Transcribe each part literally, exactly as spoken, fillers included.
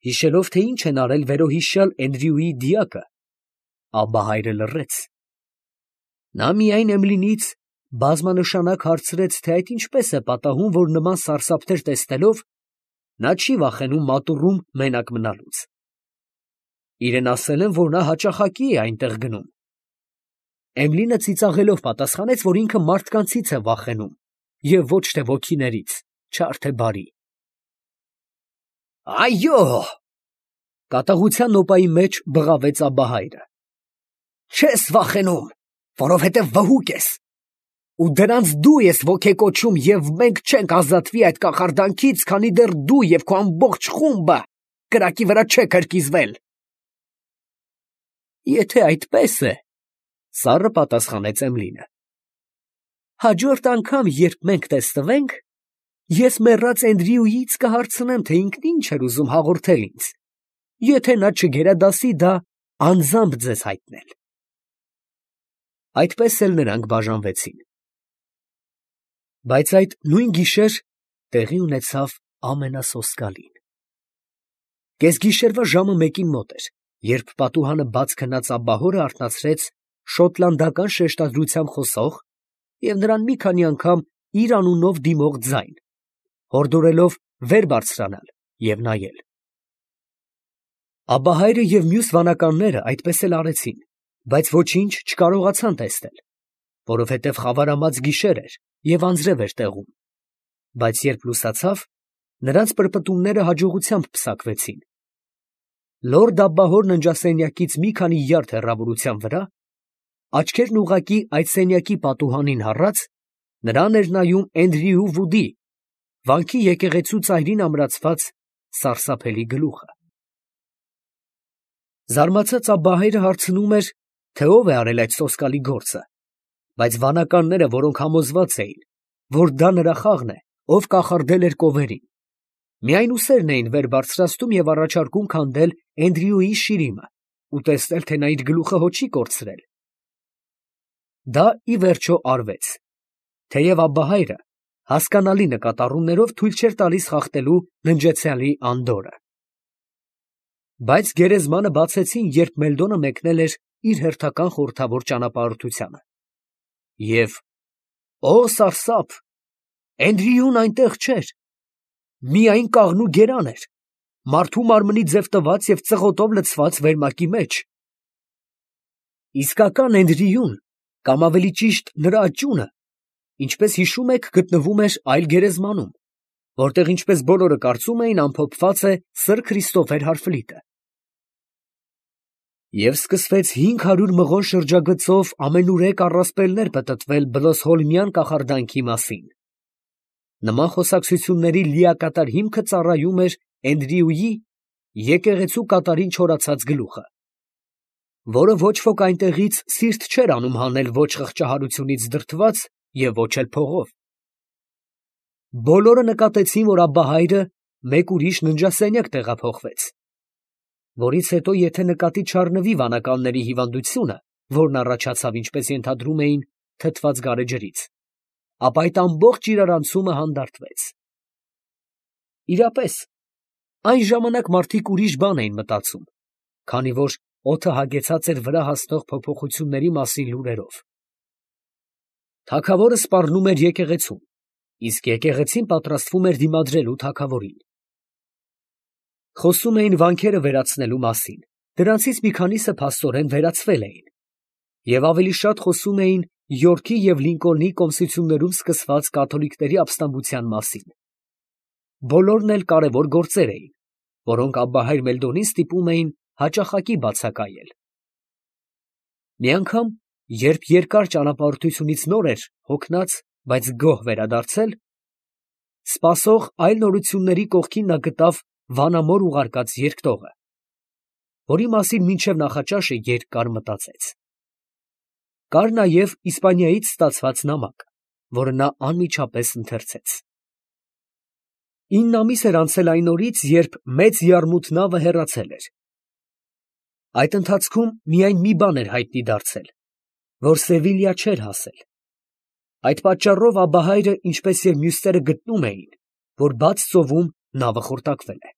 հիշելով, թե ինչ են արել վերոհիշյալ Էնդրյուի դիակը, Աբբահայրը լռեց. նա միայն Էմլինից բազմանշանակ հարցրեց, թե այդ ինչպես է պատահում, որ նման սարսափներ տեսնելով, նա չի վախենում մատուռում մենակ մնալուց. իրեն ասել են, որ նա հաճախակի է այնտեղ գնում. Էմլինը ծիծաղելով պատասխանեց, որ ինքը մարդկանցից է վախենում և ոչ թե ոգիներից, չար թե բարի։ Այո! Կատաղության նոպայի մեջ բղավեց Աբբահայրը, չես վախենում, որովհետև վհուկ ես, ու դրանց դու ես ոգեկոչում, և մենք չենք ազատվի այդ կախարդանքից, քանի դեռ դու և քո ամբողջ խումբը կրակի վրա չեք հրկիզվել։ Եթե այդպես է, սառը պատասխանեց Էմլինը, հաջորդ անգամ, երբ մենք տեսնվենք, ես մեռած Էնդրյուից կհարցնեմ, թե ինքն ինչ էր ուզում հաղորդել ինձ, եթե նա չգերադասի դա անձամբ ձեզ հայտնել։ Այդպես էլ նրանք բաժանվեցին։ Բայց այդ նույն գիշեր տեղի ունեցավ ամենասոսկալին։ Կեսգիշերվա ժամը մեկին մոտ էր, երբ պատուհանը բաց քնած աբբահորը արթնացրեց շոտլանդական շեշտադրությամբ խոսող և նրան մի քանի անգամ իր անունով դիմող ձայն, հորդորելով վեր բարձրանալ և նայել։ Աբբահայրը և մյուս վանականները այդպես էլ արեցին, բայց ոչինչ չկարողացան տեսնել, որովհետև խավարամած գիշեր էր և անձրև էր տեղում, բայց երբ լուսացավ, նրանց պրպտումները հաջողությամբ պսակվեցին։ Լորդ Աբբահոր ննջասենյակից մի քանի յարդ հեռավորության վրա, աչքերն ուղղակի այդ սենյակի պատուհանին հառած, նրան էր նայում Էնդրյու Վուդի, վանքի եկեղեցու ծայրին ամրացված սարսափելի գլուխը։ Զարմացած Աբբահայրը հարցնում էր, թե ով է արել այդ սոսկալի գործը, բայց վանականները, որոնք համոզված էին, որ դա նրա խաղն է, ով կախարդել էր կովերին, միայն ուսերն էին վեր բարձրացնում և առաջարկում քանդել Էնդրյուի շիրիմը ու տեսնել, թե նա իր գլուխը հո չի կորցրել։ Դա ի վերջո արվեց, թեև Աբբահայրը հասկանալի նկատառումներով թույլ չէր տալիս խախտելու ննջեցյալի անդորրը։ Բայց գերեզմանը բացեցին, երբ Մելդոնը մեկնել էր իր հերթական խորհրդավոր ճանապարհորդությանը։ Եվ ո սարսափ, Էնդրյուն այնտեղ չէր, միայն կաղնու գերան էր, մարդու մարմնի ձև տված և ծղոտով լցված վերմակի մեջ։ Իսկական Էնդրյուն, կամ ավելի ճիշտ նրա աճյունը, ինչպես հիշում եք, գտնվում էր այլ գերեզմանում, որտեղ, ինչպես բոլորը կարծում էին, ամփոփված է սըր Քրիստոֆեր Հարֆլիտը։ Եվ սկսվեց հինգ հարյուր մղոն շրջագծով ամենուրեք առասպելներ պտտվել բլոսհոլմյան կախարդանքի մասին։ Նման խոսակցությունների լիակատար հիմքը ծառայում էր Էնդրյուի եկեղեցու կատարին չորացած գլուխը, որը ոչ ոք այնտեղից սիրտ չէր անում հանել ոչ խղճահարությունից դրդված և ոչ էլ փողով։ Բոլորը նկատեցին, որ Աբբահայրը մեկ ուրիշ ննջասենյակ տեղափոխվեց, որից հետո եթե նկատի չառնվի վանականների հիվանդությունը, որն առաջացավ, ինչպես ենթադրում էին, թթված գարեջրից, ապա այդ ամբողջ իրարանցումը հանդարտվեց։ Իրապես, այն ժամանակ մարդիկ ուրիշ բան էին մտածում, քանի որ օդը հագեցած էր վրա հասնող փոփոխությունների մասին լուրերով։ Թագավորը սպառնում էր եկեղեցուն, իսկ եկեղեցին պատրաստվում էր դիմադրելու թագավորին։ Խոսում էին վանքերը վերացնելու մասին, դրանցից մի քանիսը փաստորեն վերացվել էին, և ավելի շատ խոսում էին Յորքի և Լինկոլնի կոմսություններում սկսված կաթոլիկների ապստամբության մասին։ Բոլորն էլ կարևոր գործեր էին, որոնք Աբբահայր Մելդոնին ստիպում էին հաճախակի բացակայել։ Մի անգամ, երբ երկար ճանապարհորդությունից նոր էր հոգնած, բայց գոհ վերադարձել, սպասող այլ նորությունների կողքին նա գտավ վանամոր ուղարկած երկտողը, որի մասին մինչև նախաճաշը երկար մտածեց։ Կար նաև Իսպանիայից ստացված նամակ, որը նա անմիջապես ընթերցեց։ Ինն ամիս էր անցել այն օրից, երբ մեծ եռմութ նավը հեռացել էր։ Այդ ընթացքում միայն մի բան էր հայտնի դարձել, որ Սևիլյա չէր հասել։ Այդ պատճառով Աբբահայրը, ինչպես և մյուսները գտնում էին, որ բաց ծովում նավը խորտակվել է։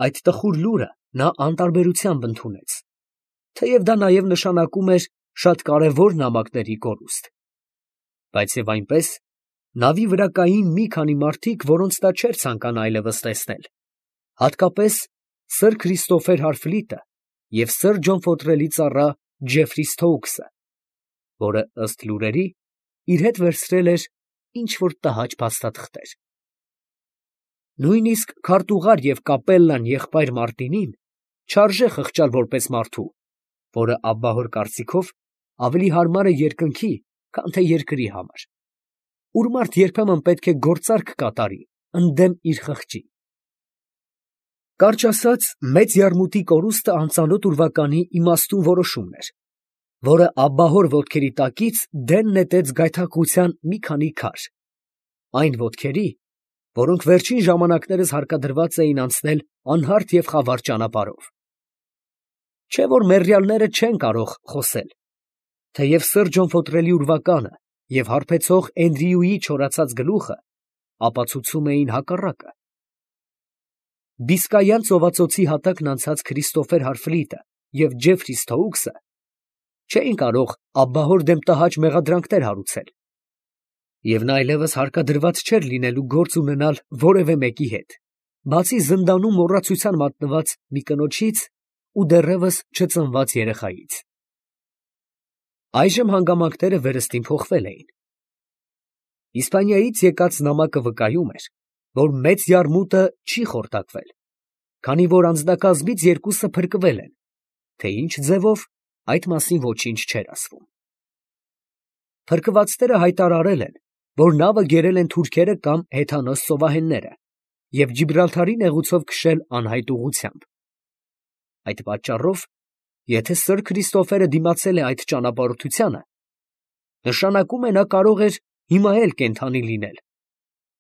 Այդ տխուր լուրը նա անտարբերությամբ ընդունեց, թեև դա նաև նշանակում էր շատ կարևոր նամակների կորուստ, բայց և այնպես նավի վրա կային մի քանի մարդիկ, որոնց նա չէր ցանկանա այլևս տեսնել, հատկապես սըր Քրիստոֆեր Հարֆլիտը և սըր Ջոն Ֆոթրելի ծառա Ջեֆրի Սթոուքսը, որը, ըստ լուրերի, իր հետ վերցրել էր ինչ֊որ տհաճ փաստաթղթեր։ Նույնիսկ քարտուղար և կապելլան եղբայր Մարտինին չարժե խղճալ որպես մարդու, որը աբբահոր կարծիքով ավելի հարմար է երկնքի, քան թե երկրի համար, ուր մարդ երբեմն պետք է գործարք կատարի ընդդեմ իր խղճի։ Կարճ ասած, մեծ յարմուտի կորուստը անծանոթ ուրվականի իմաստուն որոշումն էր, որը աբբահոր ոտքերի տակից դեն նետեց գայթակղության մի քանի քար, այն ոտքերի, որոնք վերջին ժամանակներս հարկադրված էին անցնել անհարթ և խավար ճանապարհով։ Չէ՞ որ մեռյալները չեն կարող խոսել, թեև սըր Ջոն Ֆոթրելի ուրվականը և հարբեցող Էնդրյուի չորացած գլուխը ապացուցում էին հակառակը։ Բիսկայյան ծովածոցի հատակն անցած Քրիստոֆեր Հարֆլիտը և Ջեֆրի Սթոուքսը չէին կարող աբբահոր դեմ տհաճ մեղադրանքներ հարուցել, և նա այլևս հարկադրված չէր լինելու գործ ունենալ որևէ մեկի հետ, բացի զնդանում մոռացության մատնված մի կնոջից ու դեռևս չծնված երեխայից։ Այժմ հանգամանքները վերստին փոխվել էին։ Իսպանիայից եկած նամակը վկայում էր, որ մեծ յարմուտը չի խորտակվել, քանի որ անձնակազմից երկուսը փրկվել են, թե ինչ ձևով, այդ մասին ոչինչ չէր ասվում։ Փրկվածները հայտարարել են, որ նավը կերել են թուրքերը կամ հեթանոս ծովահենները և Ջիբրալթարի նեղուցով քշել անհայտ ուղղությամբ։ Այդ պատճառով, եթե սըր Քրիստոֆերը դիմացել է այդ ճանապարհորդությանը, նշանակում է նա կարող էր հիմա էլ կենդանի լինել,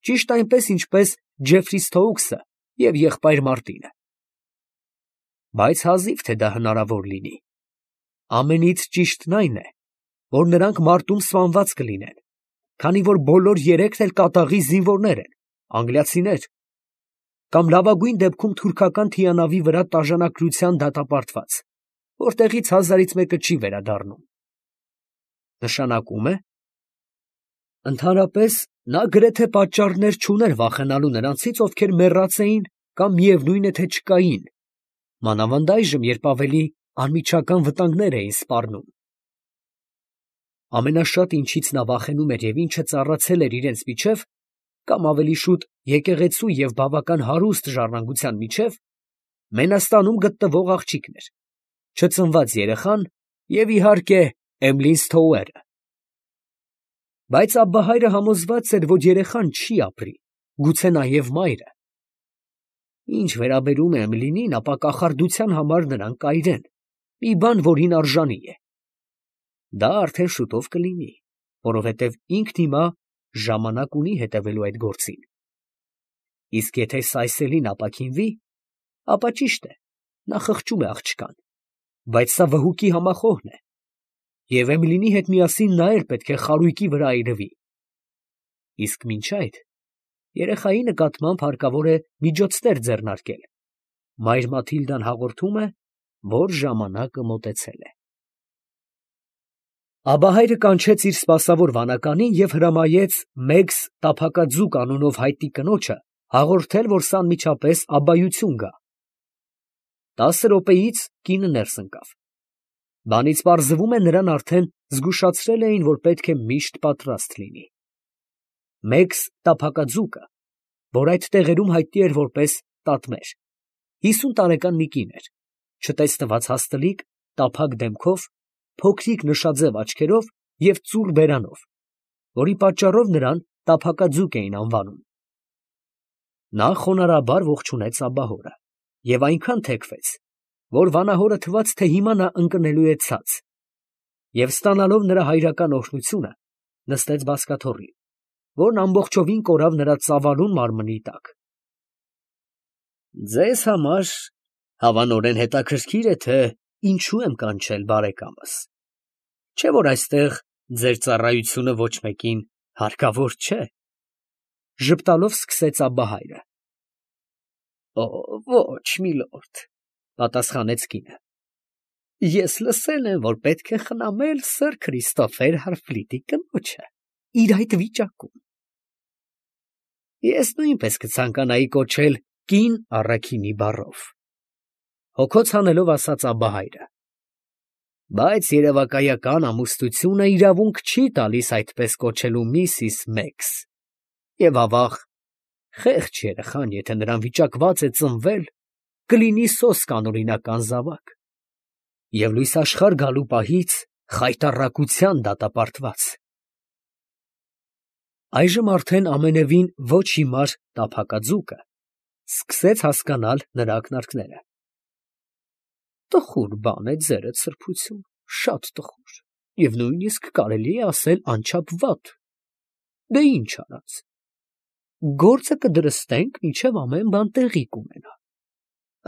ճիշտ այնպես, ինչպես Ջեֆրի Սթոուքսը և եղբայր Մարտինը։ Բայց հազիվ թե դա հնարավոր լինի։ Ամենից ճիշտն այն է, որ նրանք մարտում սպանված կլինեն, քանի որ բոլոր երեքն էլ կատաղի զինվորներ են, անգլիացիներ, կամ լավագույն դեպքում թուրքական թիանավի վրա տաժանակրության դատապարտված, որտեղից հազարից մեկը չի վերադառնում։ Նշանակում է, ընդհանրապես նա գրեթե պատճառներ չուներ վախենալու նրանցից, ովքեր մեռած էին կամ միևնույն է, թե չկային, մանավանդ այժմ, երբ ավելի անմիջական վտանգներ էին սպառնում։ Ամենաշատը, ինչից նա վախենում էր և ինչը ծառացել էր իրենց միջև, կամ ավելի շուտ եկեղեցու և բավական հարուստ ժառանգության միջև, Մենաստանում գտնվող աղջիկն էր, չծնված երեխան և, իհարկե, Էմլին Սթոուերը։ Բայց աբբահայրը համոզված էր, որ երեխան չի ապրի, գուցե նաև մայրը։ Ինչ վերաբերում է Էմլինին, ապա կախարդության համար նրան կայրեն, մի բան, որին արժանի է։ Դա արդեն շուտով կլինի, որովհետև ինքն հիմա ժամանակ ունի հետևելու այդ գործին։ Իսկ եթե Սայսելին ապաքինվի, ապա ճիշտ է, նա խղճում է աղջկան, բայց սա վհուկի համախոհն է, և Էմլինի հետ միասին նա էլ պետք է խարույկի վրա այրվի։ Իսկ մինչ այդ, երեխայի նկատմամբ հարկավոր է միջոցներ ձեռնարկել։ Մայր Մաթիլդան հաղորդում է, որ ժամանակը մոտեցել է։ Աբահայրը կանչեց իր սպասավոր վանականին և հրամայեց Մեգս տափակաձուկ անունով հայտնի կնոջը հաղորդել, որ սա անմիջապես աբբայություն գա։ Տասը րոպեից կինը ներս ընկավ։ Բանից պարզվում է, նրան արդեն զգուշացրել էին, որ պետք է միշտ պատրաստ լինի։ Մեգս տափակաձուկը, որ այդ տեղերում հայտնի էր որպես Տատմեր, հիսուն տարեկան մի կին էր, չտեսնված հաստլիկ, տափակ դեմքով, փոքրիկ նշաձև աչքերով և ծուռ բերանով, որի պատճառով նրան տափակաձուկ էին անվանում։ Նա խոնարհաբար ողջունեց աբբահորը և այնքան թեքվեց, որ վանահորը թվաց, թե հիմա նա ընկնելու է ցած, և ստանալով նրա հայրական օրհնությունը, նստեց բազկաթոռին, որն ամբողջովին կորավ նրա ծավալուն մարմնի տակ։ Ձեզ համար հավանորեն հետաքրքիր է, թե ինչու եմ կանչել բարեկամս, չէ՞ որ այստեղ ձեր ծառայությունը ոչ մեկին հարկավոր չէ, ֊ ժպտալով սկսեց աբբահայրը։ Օ, ոչ, միլորդ, պատասխանեց կինը։ Ես լսել եմ, որ պետք է խնամել սըր Քրիստոֆեր Հարֆլիտի կնոջը իր այդ վիճակում։ Ես նույնպես կցանկանայի կոչել կին առաքինի բառով, հոգոց հանելով ասաց Աբահայրը, բայց երևակայական ամուսնությունը իրավունք չի տալիս այդպես կոչելու միսիս Մեքս, և ավաղ, խեղճ երեխան, եթե նրան վիճակված է ծնվել, կլինի սոսկ անօրինական զավակ և լույս աշխարհ գալու պահից խայտառակության դատապարտված։ Այժմ արդեն ամենևին ոչ հիմար տափակաձուկը սկսեց հասկանալ նրա ակնարկները։ Տխուր բան է ձերդ սրբություն, շատ տխուր, և նույնիսկ կարելի է ասել անչափ վատ։ Դե ինչ արած, գործը կդրստենք, մինչև ամեն բան տեղի կունենա։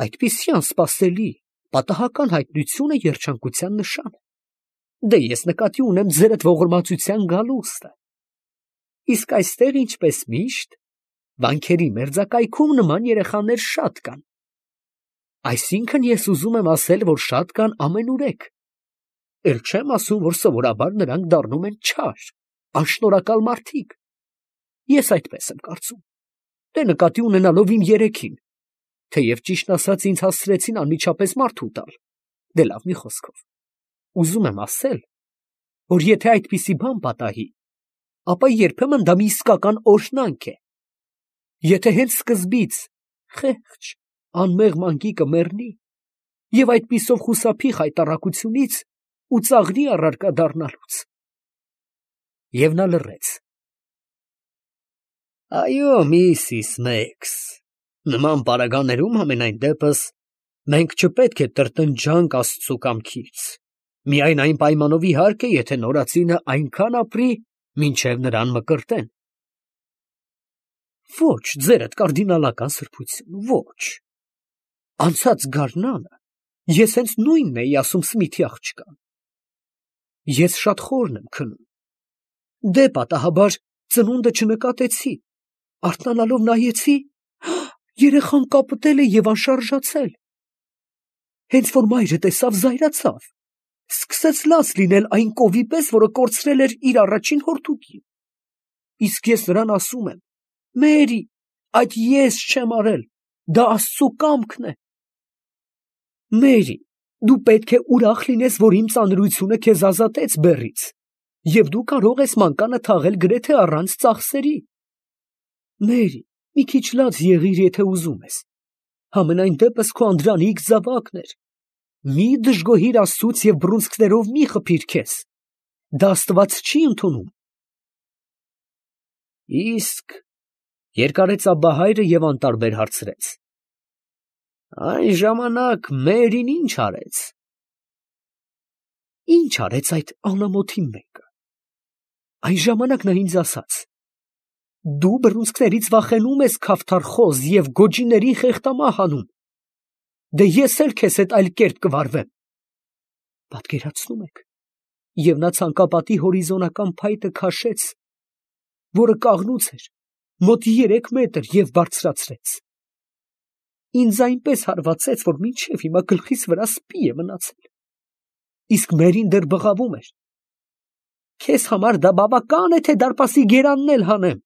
Այդպիսի անսպասելի, պատահական հայտնությունը երջանկության նշան է։ Դե ես նկատի ունեմ ձերդ ողորմածության գալուստը։ Իսկ այստեղ, ինչպես միշտ, վանքերի մերձակայքում նման երեխաներ շատ կան։ Այսինքն ես ուզում եմ ասել, որ շատ կան ամենուրեք։ Էլ չեմ ասում, որ սովորաբար նրանք դառնում են չար, անշնորհակալ մարդիկ։ Ես այդպես եմ կարծում, դե նկատի ունենալով իմ երեքին, թեև ճիշտն ասած ինձ հասցրեցին անմիջապես մարդ ուտալ, դե լավ մի խոսքով, ուզում եմ ասել, որ եթե այդպիսի բան պատահի, ապա երբեմն դա մի իսկական օրհնանք է։ Եթե հենց սկզբից խեղճ, անմեղ մանկիկը մեռնի, և այդպիսով խուսափի խայտառակությունից ու ծաղրի առարկա դառնալուց։ Եվ նա լռեց։ Այո, միսիս Մեքս, նման պարագաներում համենայն դեպս մենք չպետք է տրտնջանք Աստծու կամքից, միայն այն պայմանով իհարկե, եթե նորածինը այնքան ապրի, մինչև նրան մկրտեն։ Ոչ, ձերդ կարդինալական սրբություն, ոչ։ Անցած գարնանը ես հենց նույնն էի ասում Սմիթի աղջկան։ Ես շատ խորն եմ քնում։ Դե պատահաբար ծնունդը չնկատեցի, արթնանալով նայեցի, երեխան կապտել է և անշարժացել։ Հենց որ մայրը տեսավ, զայրացավ, սկսեց լաց լինել այն կովի պես, որը կորցրել էր իր առաջին հորթուկին։ Իսկ ես նրան ասում եմ. Մերի, այդ ես չեմ արել, դա Աստծու կամքն է։ Մերի, դու պետք է ուրախ լինես, որ իմ ծանրությունը քեզ ազատեց բեռից, և դու կարող ես մանկանը թաղել գրեթե առանց ծախսերի։ Մերի, մի քիչ լաց եղիր, եթե ուզում ես, համենայն դեպս քո անդրանիկ զավակն էր։ Մի դժգոհիր Աստծուց և բռունցքներով մի խփիր քեզ, դա Աստված չի ընդունում։ Իսկ, երկարեց Աբահայրը և անտարբեր հարցրեց. Այն ժամանակ Մերին ինչ արեց։ Ինչ արեց այդ անամոթի մեկը։ Այն ժամանակ նա ինձ ասաց. դու բռունցքներից վախենում ես, քավթարխոզ, և գոջիներին խեղդամահ անում։ Դե ես էլ քեզ հետ այլ կերպ կվարվեմ։ Պատկերացնում եք, և նա ցանկապատի հորիզոնական փայտը քաշեց, որը կաղնուց էր, մոտ երեք մետր, և բարձրացրեց։ Ինձ այնպես հարվածեց, որ մինչև հիմա գլխիս վրա սպի է մնացել։ Իսկ Մերին դեռ բղավում էր. քեզ համար դա բավական է, թե դարպասի գերանն էլ հանեմ։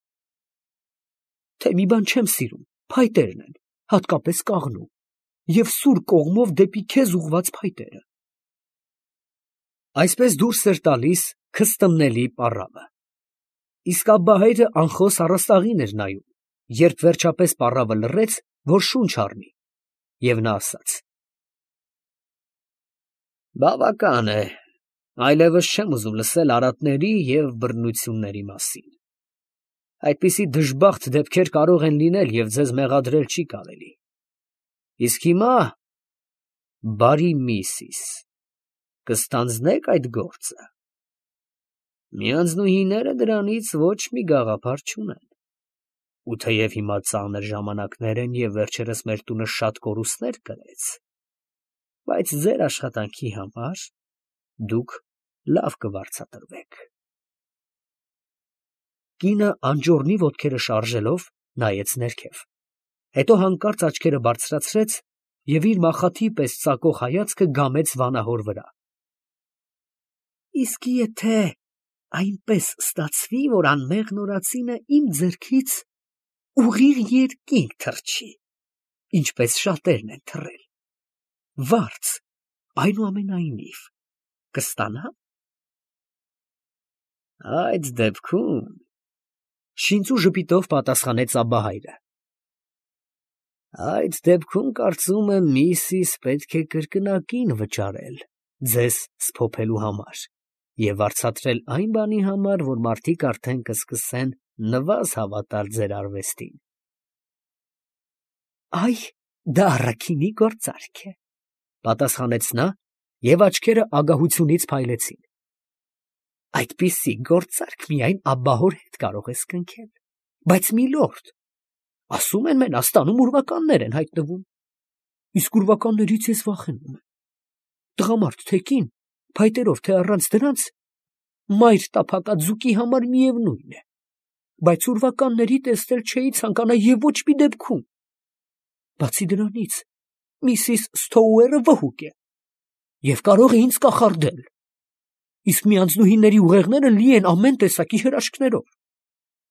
Թե մի բան չեմ սիրում, փայտերն են, հատկապես կաղնու, և սուր կողմով դեպի քեզ ուղղված փայտերը։ Այսպես դուրս էր տալիս քստմնելի պառավը։ Իսկ Աբբահայրը անխոս առաստաղին էր նայում, երբ վերջապես պառավը լռեց, որ շունչ առնի, և նա ասաց. Բավական է, այլևս չեմ ուզում լսել արատների և բռնությունների մասին։ Այդպիսի դժբախտ դեպքեր կարող են լինել, և ձեզ մեղադրել չի կարելի։ Իսկ հիմա, բարի միսիս, կստանձնե՞ք այդ գործը։ Միանձնուհիները դրանից ոչ մի գաղափար չունեն։ Ու թեև հիմա ծանր ժամանակներ են, և վերջերս մեր տունը շատ կորուստներ կրեց, բայց ձեր աշխատանքի համար դուք լավ կվարձատրվեք։ Կինը անճոռնի ոտքերը շարժելով նայեց ներքև, Հետո հանկարծ աչքերը բարձրացրեց և իր մախաթի պես ծակող հայացքը գամեց վանահոր վրա։ Իսկ եթե այնպես ստացվի, որ անմեղ նորածինը իմ ձեռքից ուղիղ երկինք թռչի, ինչպես շատերն են թռել, վարձ, այնուամենայնիվ, կստանա՞մ։ Այդ դեպքում, շինծու ժպիտով պատասխանեց Աբբահայրը, այդ դեպքում կարծում եմ միսիս պետք է կրկնակին վճարել ձեզ սփոփելու համար և վարձատրել այն բանի համար, որ մարդիկ արդեն կսկսեն նվազ հավատալ ձեր արվեստին։ Այ, դա առաքինի գործարք է, պատասխանեց նա, և աչքերը ագահությունից փայլեցին։ Այդպիսի գործարք միայն աբբահոր հետ կարող ես կնքել, բայց միլորդ, ասում են Մենաստանում ուրվականներ են հայտնվում, իսկ ուրվականներից ես վախենում եմ։ Տղամարդ թե կին, փայտերով թե առանց դրանց, մայր տափակած ձուկի համար միևնույն է, բայց ուրվականների տեսնել չէի ցանկանա և ոչ մի դեպքում։ Բացի դրանից, միսիս Սթոուերը վհուկ է և կարող է ինձ կախարդել, իսկ մի անձնուհիների ուղեղները լի են ամեն տեսակի հրաշքներով,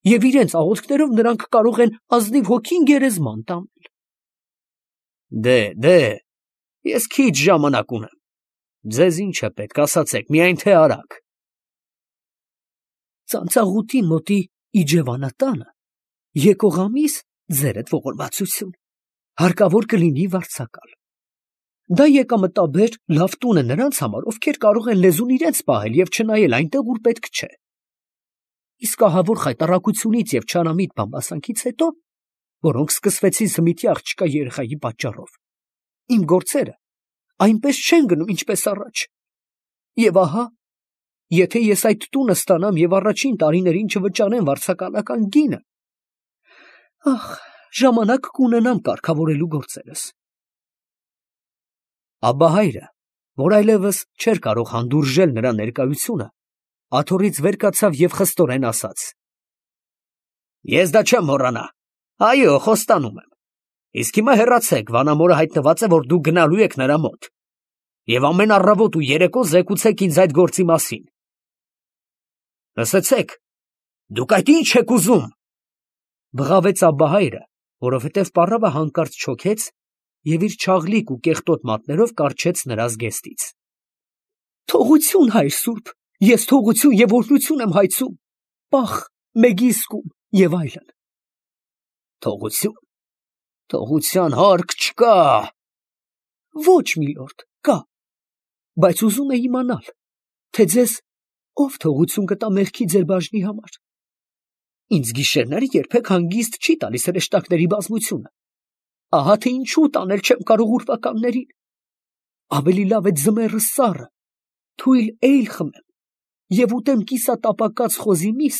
և իրենց աղոթքներով նրանք կարող են ազնիվ հոգին գերեզման տանել։ Դե, դե, ես քիչ ժամանակ ունեմ, ձեզ ինչ է պետք, ասացեք, միայն թե արագ։ Ծանծաղուտի մոտի Իջևանատանը եկող ամիս, ձերդ ողորմածություն, հարկավոր կլինի վարձակալ։ Դա եկամտաբեր լավ տուն է նրանց համար, ովքեր կարող են լեզուն իրենց պահել և չնայել այնտեղ, ուր պետք չէ։ Իսկ ահավոր խայտառակությունից և չարամիտ բամբասանքից հետո, որոնք սկսվեցին Սմիթի աղջկա երեխայի պատճառով, իմ գործերը այնպես չեն գնում, ինչպես առաջ։ Եվ ահա, եթե ես այդ տունը ստանամ և առաջին տարիներին չվճարեմ վարձակալական գինը, ախ, ժամանակ կունենամ կարգավորելու գործերս։ Աբբահայրը, որ այլևս չէր կարող հանդուրժել նրա ներկայությունը, աթոռից վեր կացավ և խստորեն ասաց. Ես դա չեմ մոռանա, այո, խոստանում եմ, իսկ հիմա հեռացեք, վանամորը հայտնված է, որ դուք գնալու եք նրա մոտ, և ամեն առավոտ ու երեկո զեկուցեք ինձ այդ գործի մասին։ Լսեցեք, դուք այդ ի՞նչ եք ուզում, բղավեց Աբբահայրը, որովհետև պառավը հանկարծ չոքեց և իր չաղլիկ ու կեղտոտ մատներով կառչեց նրա զգեստից։ Թողություն, հայր սուրբ, ես թողություն և օրհնություն եմ հայցում, պախ, մեգիզկում և այլն։ Թողություն, թողության հարկ չկա։ Ոչ, միլորդ, կա, բայց ուզում եմ իմանալ, թե ձեզ ով թողություն կտա մեղքի ձեր բաժնի համար։ Ինձ գիշերները երբեք հանգիստ չի տալիս հրեշտակների բազմությունը, ահա թե ինչու տանել չեմ կարող ուրվականներին։ Ավելի լավ է ձմեռը սառը, թույլ էյլ խմեմ և ուտեմ կիսատապակած խոզի միս,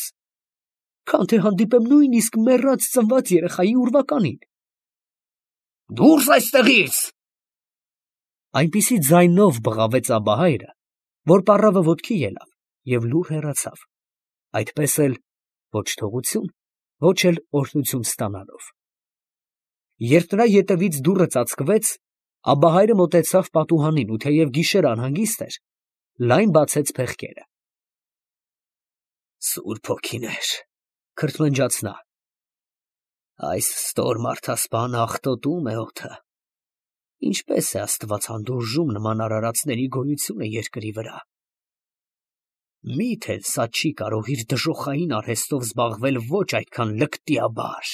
քան թե հանդիպեմ նույնիսկ մեռած ծնված երեխայի ուրվականին։ Դուրս այստեղից։ Այնպիսի ձայնով բղավեց Աբբահայրը, որ պառավը ոտքի ելավ և լուռ հեռացավ, այդպես էլ ոչ թողություն, ոչ էլ օրհնություն ստանալով։ Երբ նրա ետևից դուռը ծածկվեց, Աբբահայրը մոտեցավ պատուհանին ու թեև գիշերը անհանգիստ էր, լայն բացեց փեղկերը։ Սուրբ հոգիներ, քրթմնջաց նա, այս ստոր մարդասպանը աղտոտում է օդը, ինչպես է Աստված հանդուրժում նման արարածների գոյությունը երկրի վրա։ Միթե սա չի կարող իր դժոխային արհեստով զբաղվել ոչ այդքան լկտիաբար։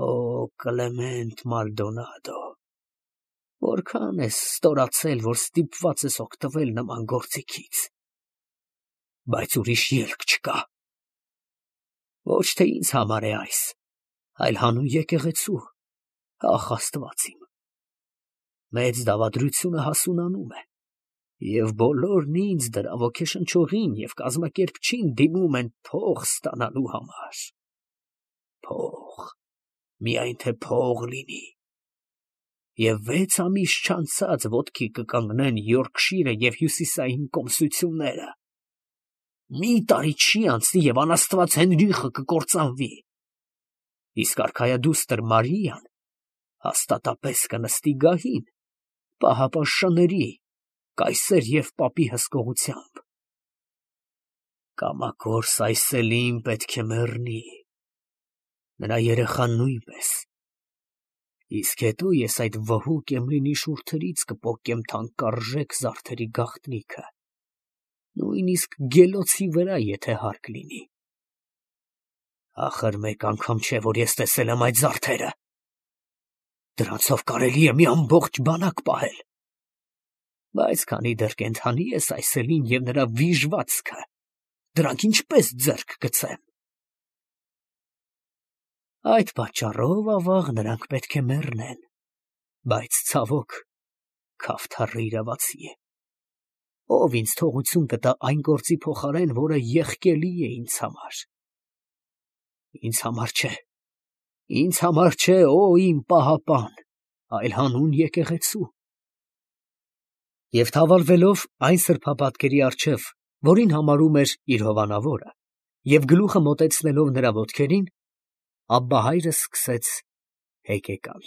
Օ Կլեմենտ Մալդոնադո, որքան ես ստորացել, որ ստիպված ես օգտվել նման գործիքից, բայց ուրիշ ելք չկա։ Ոչ թե ինձ համար է այս, այլ հանուն եկեղեցու, ախ Աստված իմ, մեծ դավադրությունը հասունանում է, և բոլորն ինձ դրա ոգեշնչողին և կազմակերպչին դիմում են փող ստանալու համար։ Փող, միայն թե փող լինի։ Եվ վեց ամիս չանցած ոտքի կկանգնեն Յորքշիրը և հյուսիսային կոմսությունները։ Մի տարի չի անցնի, և անաստված Հենրիխը կկործանվի։ Իսկ արքայադուստր Մարիան հաստատապես կնստի գահին, պահապաշտների, կայսեր և պապի հսկողությամբ։ Կամակորս այս Էլին պետք է մեռնի, նրա երեխան նույնպես, իսկ հետո ես այդ վհուկ Էմլինի շուրթերից կպոկեմ թանկարժեք զարդերի գաղտնիքը, նույնիսկ գելոցի վրա, եթե հարկ լինի։ Ախր մեկ անգամ չէ, որ ես տեսել եմ այդ զարդերը, դրանցով կարելի է մի ամբողջ բանակ պահել, բայց քանի դեռ կենդանի ես այս Էլին և նրա վիժվածքը, դրանք ինչպես ձեռք գցեմ։ Այդ պատճառով, ավաղ, նրանք պետք է մեռնեն, բայց ցավոք, քավթառը իրավացի է, ով ինձ թողություն կտա այն գործի փոխարեն, որը եղկելի է ինձ համար։ Ինձ համար չէ, ինձ համար չէ, օ իմ պահապան, այլ հանուն եկեղեցու։ Եվ թավալվելով այն սրբապատկերի առջև, որին համարում էր իր հովանավորը, և գլուխը մոտեցնելով նրա ոտքերին, Աբբահայրը սկսեց հեկեկալ։